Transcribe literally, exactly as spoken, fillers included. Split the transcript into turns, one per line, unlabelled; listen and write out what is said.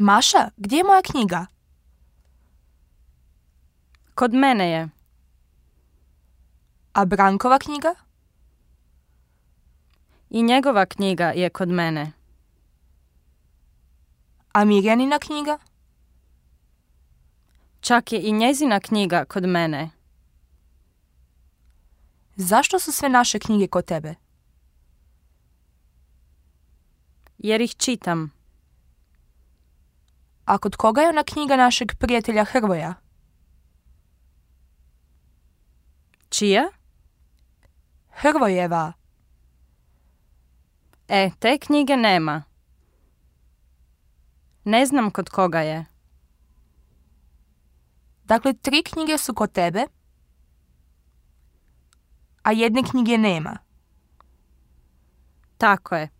Maša, gdje je moja knjiga?
Kod mene je.
A Brankova knjiga?
I njegova knjiga je kod mene.
A Mirjanina knjiga?
Čak je i njezina knjiga kod mene.
Zašto su sve naše knjige kod tebe?
Jer ih čitam.
A kod koga je ona knjiga našeg prijatelja Hrvoja?
Čija?
Hrvojeva.
E, te knjige nema. Ne znam kod koga je.
Dakle, tri knjige su kod tebe, a jedne knjige nema.
Tako je.